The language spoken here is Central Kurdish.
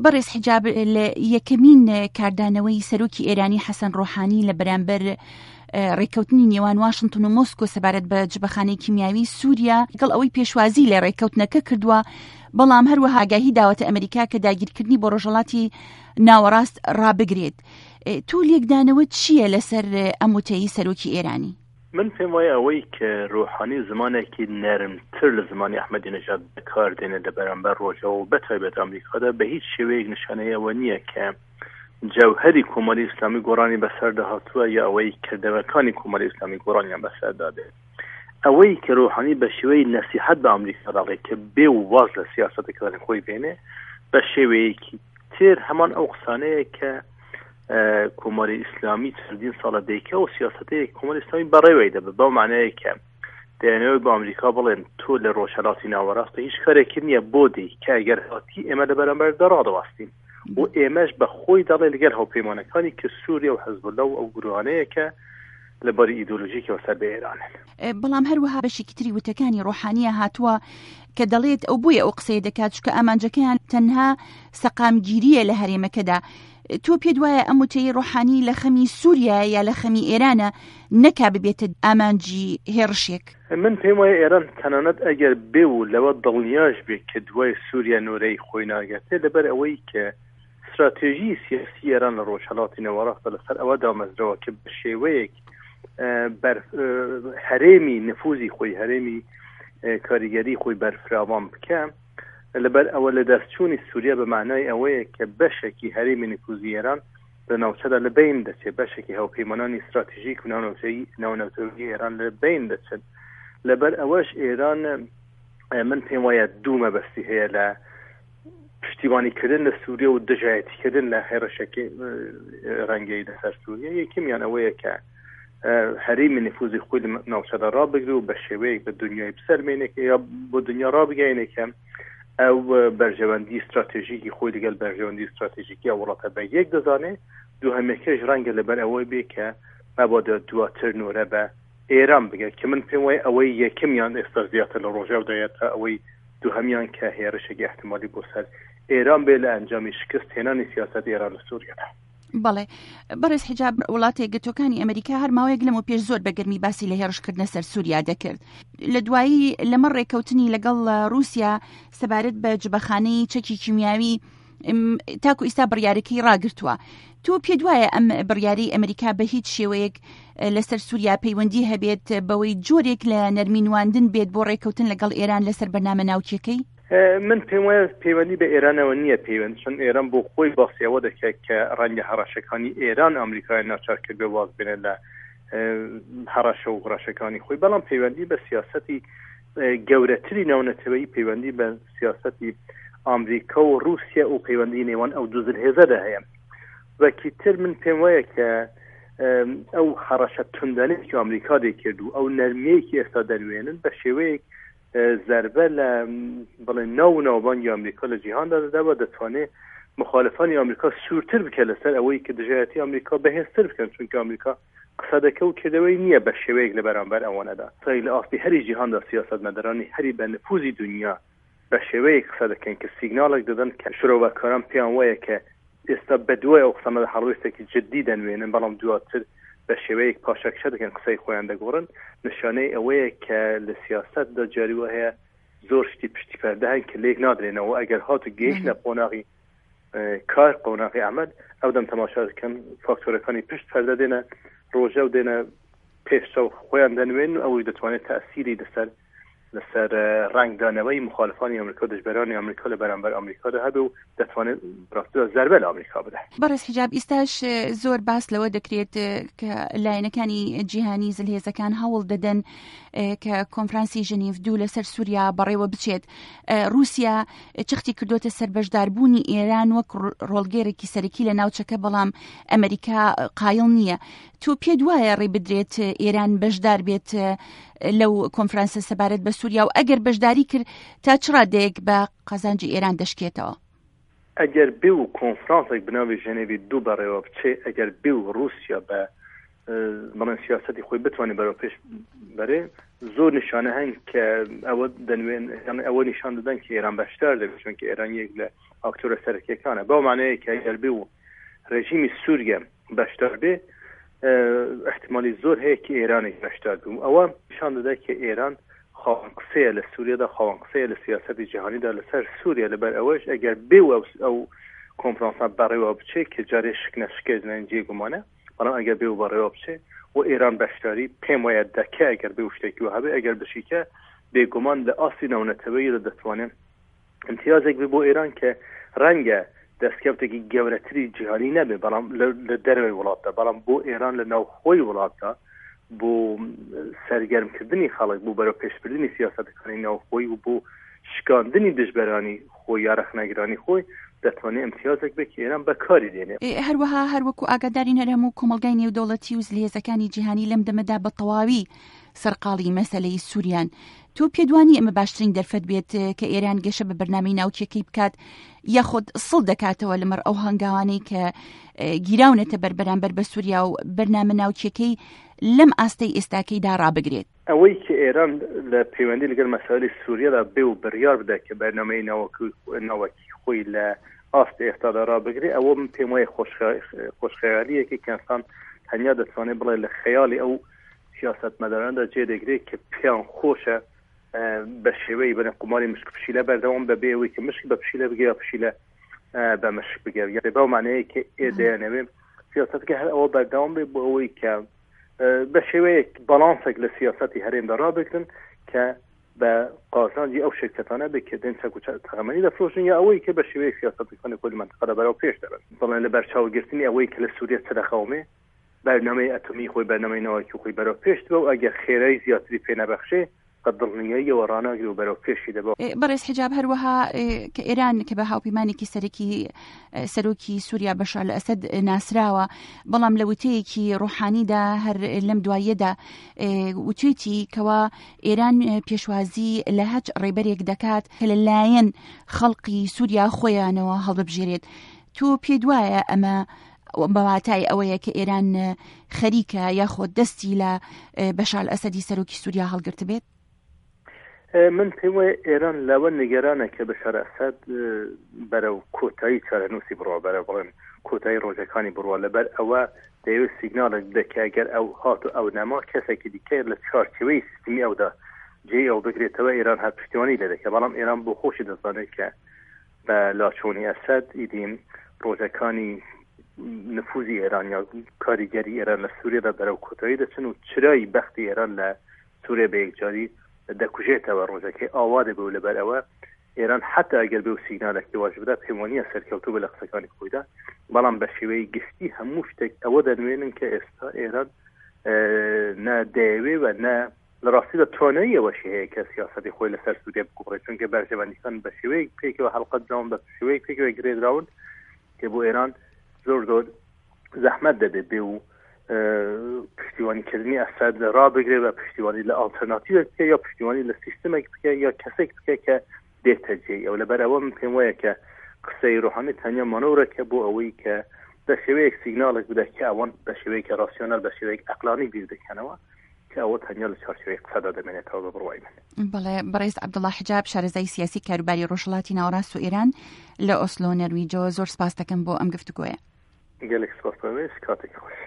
بەڕێز حیجاب، لە یەکەمین کاردانەوەی سەرۆکی ئێرانی حەسەن ڕۆحانی لە بەرامبەر ڕێککەوتنی نێوان واشنتن و مۆسکۆ سەبارەت بە جبەخانەی کیمیاوی سووریا، لەگەڵ ئەوەی پێشوازی لە ڕێککەوتنەکە کردووە، بەڵام هەروەها ئاگاهی داوەتە ئەمریکا کە داگیرکردنی بۆ ڕۆژهەڵاتی ناوەڕاست ڕابگرێت. تۆ لێکدانەوەت چییە لەسەر ئەم وتەی سەرۆکی ئێرانی؟ من پێم وایە ئەوەی کە ڕۆحانی زمانێکی نەرمتر لە زمانی ئەحمەدی نەژاد بەکار دێنێت لە بەرامبەر ڕۆژاوا و بەتایبەت ئەمریکادا بە هیچ شێوەیەک نیشانەی ئەوە نییە کە جەوهەری کۆماری ئیسلامی گۆڕانی بەسەردا هاتووە یا ئەوەی کردەوەکانی کۆماری ئیسلامی گۆڕانیان بەسەردا دێت. ئەوەی کە ڕۆحانی بە شێوەی نەسیحەت بە ئەمریکا دەڵێ کە بێ و واز لە سیاسەتەکانی خۆی بێنێ بە شێوەیەکی تر هەمان ئەو قسانەیە کە کۆماری ئیسلامی چەندین ساڵە دەیکە و سیاسەتەیە کۆماری ئیسلامی بەڕێوەی دەبێت بەو معنایە کە دەیانەوەی بە ئەمریکا بڵێن تۆ لە ڕۆژهەڵاتی ناوەڕاستە هیچ کارێکی نییە بۆ دی کە ئەگەر هاتی ئێمە لە بەرامبەر دەڕادەوەستین و ئێمەش بە خۆی دەڵێ لەگەل هاوپەیمانەکانی کە سووریا و حزبوڵا و ئەو گروهانەیە کە لە باری ئیدۆلۆژیکەوە سەر بە ئێرانن. بەڵام هەروەها بەشێکی تری وتەکانی ڕۆحانیە هاتووە کە دەڵێت ئەو بۆیە ئەو قسەیە دەکات چونکە ئامانجەکەیان تەنها سەقامگیرییە لە هەرێمەکەدا. تۆ پێت وایە ئەم وتەی ڕۆحانی لە خەمی سووریایە یا لە خەمی ئێرانە نەکا ببێتە ئامانجی هێڕشێک؟ من پێم وایە ئێران تەنانەت ئەگەر بێ و لەوە دڵنیاش بێ کە دوای سووریا نۆرەی خۆی ناگاتێ لەبەر ئەوەی کە ستراتێژی سیاسی ئێران لە ڕۆژهەڵاتی نێوەڕاستە لەسەر ئەوە دامەزراوە کە بە شێوەیەک بەر هەرێمی نفوزی خۆی هەرێمی کاریگەری خۆی بەرفراوان بکە لەبەر ئەوە لە دەستچوونی سووریا بە معنای ئەوەیە کە بەشێکی هەرێمی نفوزی ئێران لە ناوچەدا لە بین دەچێت بەشێکی هاوپەیمانانی استراتژیک و ناونەوتەیی ناونەوتەوەی ئێران لە بین دەچن لەبەر ئەوەش ئێران من پێم وایە دوو مەبەستی هەیە لە پشتیوانیکردن لە سووریە و دژایەتیکردن لە هێڕشەکەی ڕەنگەی لەسەر سووریە یەکەمیان ئەوەیە کە هەرێمی نفوزی خۆی لە ناوچەدا ڕابگرێ و بە شێوەیەک بە دنیای بسەلمێنێ یا بۆ دنیا ڕابگەیەنێ کە ئەو بەرژەوەندی استراتێژیکی خۆی لەگەڵ بەرژەوەندی استراتێژیکی ئەو وڵاتە بە یەک دەزانێ. دووهەمەکەش ڕەنگە لەبەر ئەوەی بێ کە مەبادا دواتر نۆرە بە ئێران بگات کە من پێم وایە ئەوەی یەکەمیان ئێستا زیاتر لە ڕۆژاودایە تا ئەوەی دووهەمیان کە هێرشێکی ئەحتمالی بۆ سەر ئێران بێ لە ئەنجامی شکست هێنانی سیاسەتی ئێران لە سووریادا. بەڵێ بەڕێز حیجاب، وڵاتە یەکگرتووەکانی ئەمریکا هەر ماوەیەک لەمەو پێش زۆر بە گەرمی باسی لە هێڕشکردنە سەر سووریا دەکرد. لە دوایی لەمەڕ ڕێککەوتنی لەگەڵ ڕووسیا سەبارەت بە جبەخانەی چەکی کیمیاوی تاکو ئیستا بڕیارەکەی ڕاگرتووە. تۆ پێت وایە ئەم بڕیارەی ئەمریکا بە هیچ شێوەیەک لەسەر سووریا پەیوەندی هەبێت بەوەی جۆرێک لە نەرمی نواندن بێت بۆ ڕێککەوتن لەگەڵ ئێران لەسەر بەرنامە ناوکیەکەی؟ من پێم وایە پەیوەندی بە ئێرانەوە نییە پەیوەند چون ئێران بۆ خۆی باسی ئەوە دەکات کە ڕەنگە هەڕەشەکانی ئێران ئەمریکای ناچار کردبێ واز بێنێت لە هەڕەشە و هەڕەشەکانی خۆی، بەڵام پەیوەندی بە سیاسەتی گەورەتری ناونەتەوەیی پەیوەندی بە سیاسەتی ئامریکا و رووسیا و پەیوەندی نێوان ئەو دوو زلهێزەدا هەیە. وەکی تر من پێم وایە کە ئەو هەڕەشە توندانەی کە ئامریکا دەیکرد و ئەو نەرمیەی کە ئێستا دەنوێنن بە شێوەیەک زەربە لە بڵێ ناو و ناوبانگی ئامریکا لە جیهاندا دەدا و دەتوانێت مخالفانی ئامریکا سوورتر بکە لەسەر ئەوەی کە دژایەتی ئامریکا بەهێزتر بکەن، چونکە ئامریکا قسە دەکە و کردەوەی نییە بە شێوەیەک لە بەرامبەر ئەوانەدا. لە ئاستی هەری جیهاندا سیاسەتمەدارانی هەری بە نفوزی دنیا بە شێوەیەک قسە دەکەن کە سیگناڵێک دەدەن کە شرۆڤەکاران پێیان وایە کە ئێستا بەدوای ئەو قسانەدا هەڵوێستێکی جددی دەنوێنن، بەڵام دواتر بە شێوەیەک پاشەکشە دەکەن، قسەی خۆیان دەگۆڕن، نیشانەی ئەوەیە کە لە سیاسەتدا جاری وا هەیە زۆر شتی پشتی پەردە هەن کە لێک نادرێنەوە، ئەگەر هاتوو گەیشتنە قۆناغی کار، قۆناغی عەمەل، ئەو دەم تەماشا دەکەن فاکتۆرەکانی پشت پەردە دێنە ڕۆژە و دێنە پێش چاو خۆیان دەنوێن و ئەوەی دەتوانێت تەئسیری لەسەر لەسەر ڕەنگدانەوەی مخالفانی ئەمریکا دژبەرانی ئەمریکا لە بەرامبەر ئەمریکادا هەبێ و دەتوانێت ڕاستیدا زەربە لە ئەمریکا بدە. بەڕێز حیجاب، ئیستاش زۆر باس لەوە دەکرێت کە لایەنەکانی جیهانی زلهێزەکان هەوڵ دەدەن کە کۆنفرانسی ژنیف دوو لەسەر سووریا بەڕێوە بچێت. رووسیا چەختی کردوتە سەر بەشداربوونی ئێران وەک ڕۆڵگێرێکی سەرەکی لە ناوچەکە، بەڵام ئەمریکا قایڵ نییە. تۆ پێت وایە ڕێ بدرێت ئێران بەشدار بێت لەو کۆنفرانسە سەبارەت بە سووریا و ئەگەر بەشداری کرد تا چ ڕادەیەک بە قازانجی ئێران دەشکێتەوە؟ ئەگەر بێ و کۆنفرانسێک بە ناوی ژەنێڤی دوو بەڕێوە بچێ، ئەگەر بێ و ڕووسیا بە بەڵێن سیاسەتی خۆی بتوانێت بەرەو پێش بەرێ، زۆر نیشانە هەن کە ئەوە دەنوێن، یان ئەوە نیشان دەدەن کە ئێران بەشدار دەبێت، چونکە ئێران یەک لە ئاکتۆرە سەرەکیەکانە بەو مانەیە کە ئەگەر بێ و ڕێژیمی سووریە بەشدار بێ احتمالی زۆر هەیە کە ئێرانێک بەشدار بوو ئەوە پیشان دەدا کە ئێران خاوەن قسەیە لە سووریادا خاوەن قسەیە لە سیاسەتی جیهانیدا لەسەر سووریا لەبەر ئەوەش ئەگەر بێ و ئەو کۆنفرانسە بەڕێوە بچێت کە جارێ شک نەشکێت جێ گومانە بەڵام ئەگەر بێ و بەڕێوە بچێ و ئێران بەشداری پێم وایە دەکە ئەگەر بێ و شتێکی وهبێ ئەگەر بشیکە بێگومان لە ئاستی ناونەتەوەیدا دەتوانێت امتیازێک بێ بۆ ئێران کە ڕەنگە دەستکەوتێکی گەورەتری جیهانی نەبێ بەڵام لە دەرەوەی وڵاتدا بەڵام بۆ ئێران لە ناوخۆی وڵاتدا بۆ سەرگەرمکردنی خەڵک بۆ بەرەو پێشبردنی سیاسەتەکانی ناوخۆی و بۆ شکاندنی دژبەرانی خۆی یا ڕەخنەگرانی خۆی دەتوانێت امتیازێک بێت کە ئێران بەکاری دێنێ. هەروەها هەروەکو ئاگادارین هەر هەموو کۆمەڵگای نێودەوڵەتی و زلهێزەکانی جیهانی لەم دەمەدا بە تەواوی سەرقاڵی مەسەلەی سووریان. تۆ پێت وانییە ئەمە باشترین دەرفەت بێت کە ئێران گەشە بە بەرنامەی ناوکیەکەی بکات یاخود سڵ دەکاتەوە لەمەڕ ئەو هەنگاوانەی کە گیراونەتە بەر بەرامبەر بە سووریا و بەرنامە ناوکیەکەی لەم ئاستەی ئێستاکەیدا ڕابگرێت؟ ئەوەی کە ئێران لە پەیوەندی لەگەڵ مەسایلی سووریادا بێ و بڕیار بدات کە بەرنامەی ناوەکی خۆی لە ئاست ئێستادا ڕابگرێ ئەوە من پێم وایە خۆشخەیالیەکی کە ئینسان تەنیا دەتوانێت بڵێ لە خەیاڵی ئەو سیاسەتمەداراندا جێ دەگرێت کە پێیان خۆشە بە شێوەی بەنە قوماری مشک پشیلە بەردەوام بەبێ ئەوەی کە مشک بە پشیلە بگە یا پشیلە بە مشک بگە یا بەو مانەیە کە ئێ دەیانەوێ سیاسەتەکە هەر ئەوە بەردەوام بێ بۆ ئەوەی کە بە شێوەیەک باڵانسێک لە سیاسەتی هەرێمدا ڕابگرن کە بە قازانجی ئەو شرکەتانە بێت کە دێن چەک و تەقەمەنی دەفرۆشن یا ئەوەی کە بە شێوەیەک سیاسەتەکانی خۆی لە مەنتقەدا بەرەو پێش دەبەن. بەڵێ لە بەرچاوگرتنی ئەوەی کە لە سووریە چ دەقەومێ، بەرنامەی ئەتۆمی خۆی، بەرنامەی ناوەکی خۆی بەرەو پێش دەبا و ئەگەر خێرایی زیاتری پێ نەبەخشێ، بە دڵنیاییەوە ڕاناگرێ و بەرەو پێشی دەبا. بەڕێز حیجاب هەروەها کە ئێران کە بە هاوپەیمانێکی سەرەکی سەرۆکی سووریا بەشار ئەسەد ناسراوە، بەڵام لە وتەیەکی ڕۆحانیدا هەر لەم دواییەدا وتوێتی کەوا ئێران پێشوازی لە هەچ ڕێبەرێک دەکات کە لە لایەن خەڵقی سووریا خۆیانەوە هەڵببژێرێت. تۆ پێت وایە ئەمە بە واتای ئەوەیە کە ئێران خەریکە یاخۆ دەستی لە بەشار ئەسەدی سەرۆکی سووریا هەڵگرتبێت؟ من پێم وایە ئێران لەوە نیگەرانە کە بەشار ئەسەد بەرەو کۆتایی چارەنووسی بڕوا بەرە بڵێن کۆتایی ڕۆژەکانی بڕوا لەبەر ئەوە دەیەوێت سیگنالێک بدە کە ئەگەر ئەو هات و ئەو نەما کەسێکی دیکە لە چوارچێوەی سیستمی ئەودا جێی ئەو بگرێتەوە ئێران هەر پشتیوانی لێ دەکات بەڵام ئێران بۆ خۆشی دەزانێت کە بە لاچوونی ئەسەد ئیدی ڕۆژەکانی نفوزی ئێران یا کاریگەری ئێران لە سووریادا بەرەو کۆتایی دەچن و چرای بەختی ئێران لە سووریا بە یەکجاری دەکوژێتەوە ڕۆژەکەی ئاوا دەبێ و لەبەر ئەوە ئێران حتا ئەگەر بێ و سیگنالێکی واش بدا پێم وانییە سەرکەوتوو بێ لە قسەکانی خۆیدا بەڵام بە شێوەی گشتی هەموو شتێک ئەوە دەنوێنن کە ئێستا ئێران نە دەیەوێ و نە لە ڕاستیدا توانایی ئەوەشی هەیە کە سیاسەتی خۆی لەسەر سووریا بگۆڕێت چونکە بەرژەوەندیەکان بە شێوەیەک پێکەوە هەڵقە دراون بە شێوەیەک پێکەوە گرێدراون کە بۆ ئێران زۆر زۆر زەحمەت دەبێت بێ و پشتیوانیکردنی ئەسەد ڕابگرێ بە پشتیوانی لە ئاڵتەرناتیوێک بکە یا پشتیوانی لە سیستمێک بکە یا کەسێک بکە کە دێتە جێی ئەو لەبەر ئەوە من پێم وایە کە قسەی ڕۆحانی تەنیا مانۆرەکە بۆ ئەوەی کە بە شێوەیەک سیگناڵێک بدە کە ئەوان بە شێوەیەکی ڕاسیۆنال بە شێوەیەک ئەقلانی بیر دەکەنەوە کە ئەوە تەنیا لە چوارچێوەی قسەدا دەمێنێتەوە بە بڕوای من. بەڵێ بەڕێز عەبدوڵا حجاب شارەزای سیاسی کاروباری ڕۆژهەڵاتی ناوەڕاست و ئێران لە ئۆسلۆ نەرویجەوە زۆر سپاس دەکەم بۆ ئەم گفتوگۆیە. گەلێک سپاس بەڕێز کاتێکی خۆش.